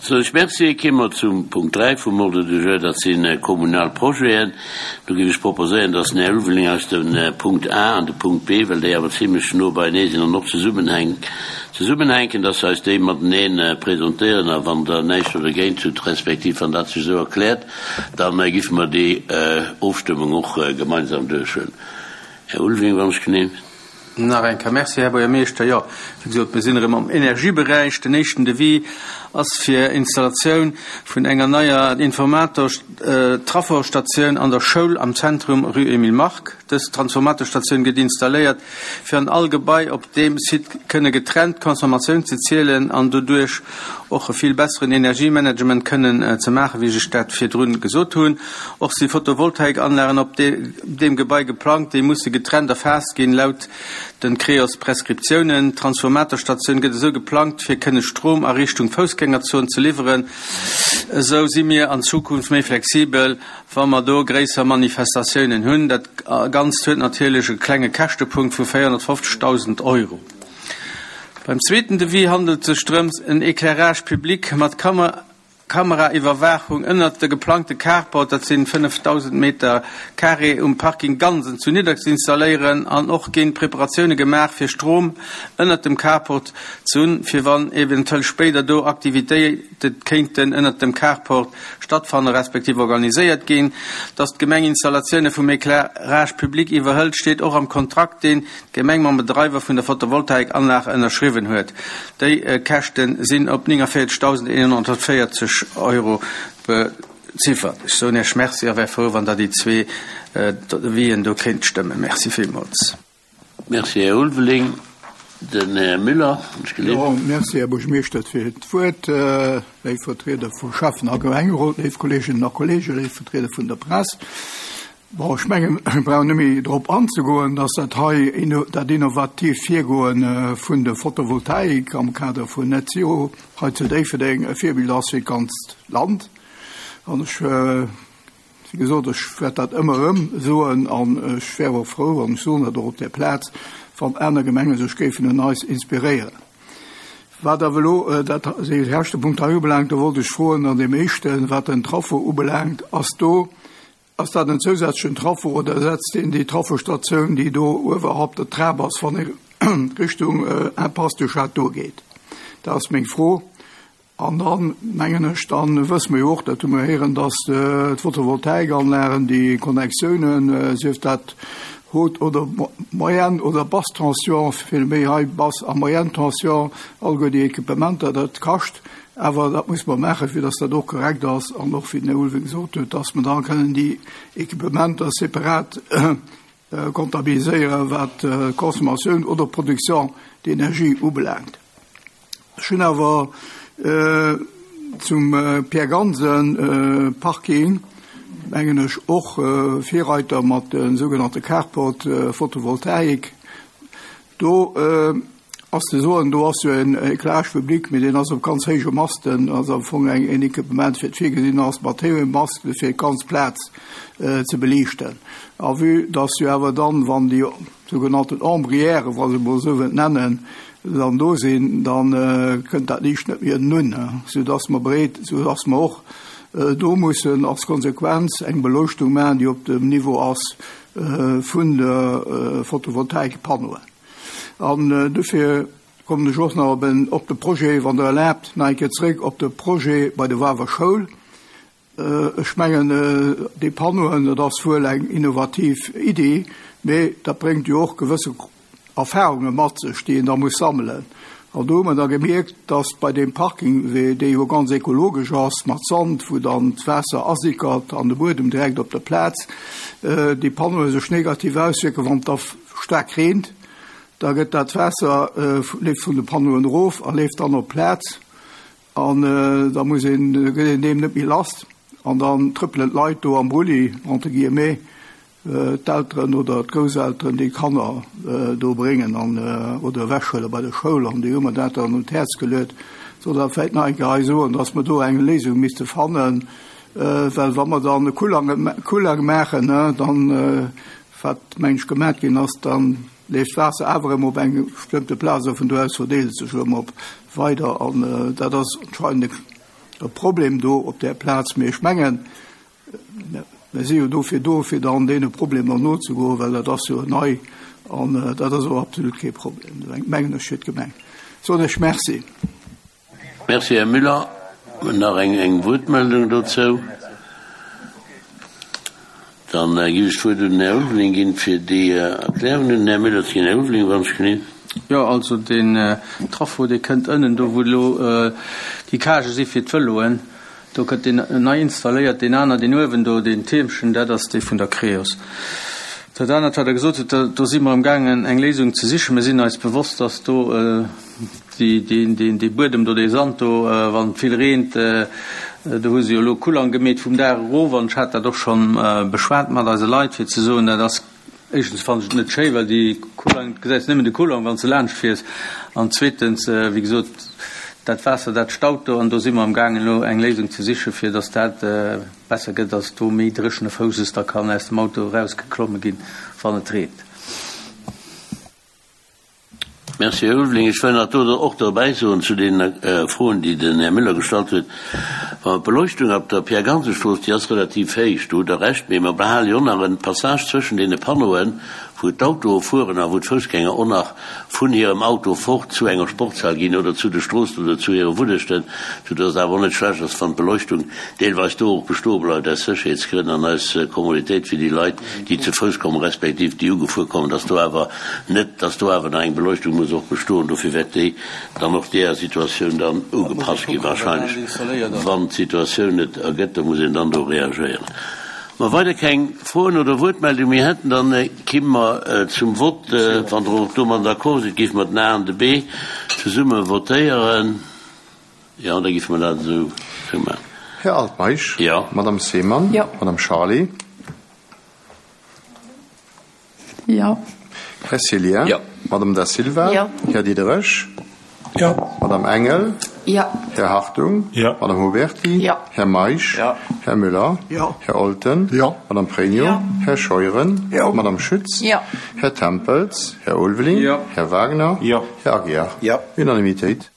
Soen ech Merci. Kéime mer zum Punkt 3 vum Ordre du jour, dat si kommunal Projeten. Do géif ech proposéieren, dass den Här Ulveling eis de Punkt A an de Punkt B, well déi awer zimlech no beienee sinn an och zesummenhänken, dass se eis déi matenee presentéieren. A wann Der näischt do dergéint hutt, respektiv wann dat sech esou erkläert, da giffe mer déi Ofstëmmung och gemeinsam duerchhuelen. Här Ulveling, wann ech genehm. Nach eng Kéier Merci, Här Buergermeeschter. Jo, wéi gesot, mir sinn erëm am Energieberäich. Den éischten Devis ass fir Installatioun vun enger neier Informator-Traffostatioun an der Schoul am Zentrum, Rue Emile Mark. Dës Transformatorstatioun gëtt installéiert, fir an all Gebai op deem Site kënne getrennt d'Consommatioun ze zielen an doduerch och e vill besseren Energiemanagement kënnen ze maachen, wéi ech dat virdrun gesot hunn. Och si Photovoltaikanlagen op deem Gebai geplangt, déi musse getrennt erfaasst ginn, laut den Creos-Prescriptiounen. D'Transformatorstatioun gëtt esou geplangt, fir kënne Strom a Richtung Foussgängerzon ze liwweren. Esou si mir an Zukunft méi flexibel, wa mer do gréisser Manifestatiounen hunn. Dat Ganzt huet natierlech e klenge Käschtepunkt vu 450.000 Euro. Beim zweeten Devis handelt et sech drëms, en Éclairage public mat Kameraiwwerwaachung ënnert de geplangte Carport, dat sinn 5.000 Meter carré, um Parking Gansen zu Nidderk ze installéieren an och ginn Preparatioune gemaach fir Strom ënnert dem Carport ze hunn, fir wann eventuell spéider do Aktivitéite kéinten ënnert dem Carport stattfanne respektiv organiséiert ginn. Dass d'Gemeng Installatioune vum Éclairage public iwwerhëlt, steet och am Kontrakt, deen d'Gemeng mam Bedreiwer vun der Photovoltaikanlag ënnerschriwwen huet. Déi Käschte sinn op 49.140 Euro beziffert. Ech soen Iech Merci a wär frou, wann Der déi zwee Devisen do kéint stëmmen. Merci villmools. Merci, Här Ulveling. Den Här Müller, ech gelift. Jo, merci, Här Buergermeeschter, fir d'Wuert. Léif Vertrieder vum Schäffen a Gemengerot, léif Kolleeginnen a Kolleegen, léif Vertrieder vun der Press. Bon, ech mengen, ech brauch net méi drop anzegoen, dass dat hei dat innovatiivt Virgoe vun der Photovoltaik am Kader vun Net Zero hei zu Déifferdeng e Virbild ass fir d'ganzt Land. An ech, wéi gesot, ech wäert dat ëmmer erëm soen an ech wär och frou, an ech soen dat och op där Plaz, wann aner Gemenge sech géifen un eis inspiréieren. Wat awer elo dat dee leschte Punkt hei ubelaangt, do wollt ech froen an deem éischten, wat den Traffo ubelaangt, ass do Ass dat en zousätzlechen Traffo oder ersetzt deen déi Traffostatioun, déi do uewerhalb der Trap ass, wann ee Richtung Impasse du Château geet? Dat ass meng Fro. An dann, mengen ech, da wësse mer jo och, dat hu mer héieren, dass d'Photovoltaikanlagen, déi Connectiounen, sief dat Haute oder Moyenne oder Basse Tension, vill méi hei Basse a Moyenne Tension, alleguer déi Equipementer, dat kascht. Awer dat muss mer maachen, fir dass dat och korrekt ass an och, wéi den Här Ulveling gesot huet, dass mer da kënnen déi Equipementer separat comptabiliséieren, wat d'Consommatioun oder d'Production d'énergie ubelaangt. Ech hunn awer zum Pierre Gansen Parking, mengen ech, och Virreiter mat de sougenannte Carport Photovoltaik. Do ass ze soen, do ass jo en Éclairage public, mee deen ass op ganz héije Masten, ass am Fong eng en Equipement fir virgesinn ass, mat héije Masten fir d'ganz Plaz ze beliichten. A vue dass jo awer dann, wann déi sougenannten Ombrièren, wa se emol esou wëllt nennen, dann do sinn, da kënnt dat Liicht net méi ënnen un, soudass mer bereet, soudass mer och do mussen als Konsequenz eng Beleuchtung maachen, déi op dem Niveau ass vun de Photovoltaikpannoen. An dofir kommen ech och nach op en, op de Projet, wann Der erlaabt, nach eng Kéier zréck op de Projet bei der Wawer Schoul. Ech mengen, déi Pannoen, dat ass wuel eng innovativ Iddi, mee dat bréngt jo och gewësse Erfahrunge mat sech, déi een da muss sammelen. An do hu mer da gemierkt, dass bei deem Parking, dee jo ganz ekologesch ass, mat Sand, wou dann d'Waasser asickert an de Buedem direkt op der Plaz, déi Panneaue sech negativ auswierken, wann et da staark reent. Da gëtt dat Waasser, leeft vun de Panneauen erof a leeft dann op d'Plaz. An da muss een, gëtt een deem net méi lass. An dann trëppelen d'Leit do am Brulli, entre guillemets, d'Elteren oder d'Grousselteren déi Kanner do bréngen an oder ewechhuele bei der Schoul an déi hu mer dat dann un d'Häerz geluet. Soll dat vläicht nach eng Kéier hei soen, dass mer do eng Léisung misste fannen, well wa mer dann e Kullang maachen, dann, wat meng ech gemat ginn ass, dann leeft d'Waasser awer erëm op eng bestëmmte Plaz a vun do aus verdeelt et sech erëm op weider an dat ass anscheinend e. e Problem do op där Plaz. Mee ech mengen, mir si jo dofir do, fir dann deene Problemer nozegoen, well dat ass jo nei an dat ass och absolut kee Problem, mengen ech, fir d'Gemeng. Soen ech Merci. Merci, Här Müller. Nach eng Wuertmeldung dozou? Dann géif ech d'Wuert un den Här Ulveling ginn, fir déi Erklärung un den Här Müller ze ginn. Här Ulveling, wann ech genee. Jo, also deen Traffo, dee kënnt ënnen do, wou elo déi Cagë si fir d'Vëloen, do gëtt deen nei installéiert. Deen aner, deen uewen do, deen Tiermchen, dat ass dee vun der Creos. Dat anert, wat Der gesot hutt, do si mer amgaangen, eng Léisung ze sichen. Mir sinn eis bewosst, dass do, Dee Buedem do, dee Sand do, wann et vill reent, do hu se jo elo Kullang gemeet vum Daach erof an ech hat dat och schonn beschwat mat eise Leit, fir ze soen, dat ass, éischtens fannen ech et net schéi, well déi Kullang, du gesäis nëmmen de Kullang, wann s de laanscht fiers an zweetens, wéi gesot, dat Waasser, dat staut do an do si mer amgaangen elo eng Léisung ze sichen, fir datt dat besser gëtt, datt do méi dréchene Fousses da kann aus dem Auto erausgeklomme ginn, wann et reent. Merci, Här Ulveling. Ech wëll nach do och derbäi soen zu deene Froen, déi den Här Müller gestallt huet, Wa mer d'Beleuchtung op der Pierre-Gansen-Strooss, déi ass relativ héich, do hutt Der Recht, mee mer behale jo och nach e Passage zwëschen deene Panneauen, wou d'Autoe fueren a wou d'Foussgänger och nach vun hirem Auto fort zu enger Sportshal ginn oder zu de Stroossen oder zu hire Wunnechten, soudass et awer och net schlecht ass, wann d'Beleuchtung deelweis do och bestoe bleift aus Sécherheetsgrënn an aus Kommoditéit fir déi Leit, déi ze Fouss kommen, respektiv déi ugefuer kommen, dass do awer net, dass do awer nach eng Beleuchtung muss och bestoen. Dofir wäert déi dann och deeër Situatioun dann ugepasst ginn, wahrscheinlech, wann d'Situatioun et ergëtt. Da muss een dann do reagéieren. Wa weider keng Froen oder Wuertmeldung méi hätten, dann kimme mer zum Vott. Wann Der och domat d'accord sidd, géife mer den A an de B zesumme votéieren. Jo, da géife mer dat esou maachen. Här Altmeisch? Jo. Madame Seemann? Jo. Madame Charlé? Jo. Här Cillien? Jo. Madame Da Silva? Jo. Här Diderich? Jo. Madame Engel? Jo. Här Hartung? Jo. Madame Huberty? Jo. Här Meisch? Jo. Här Müller? Jo. Här Olten? Jo. Madame Pregno? Jo. Här Scheuren? Jo. Madame Schütz? Jo. Här Tempels? Här Ulveling? Jo. Här Wagner? Jo. Här Aguiar? Jo. Unanimitéit.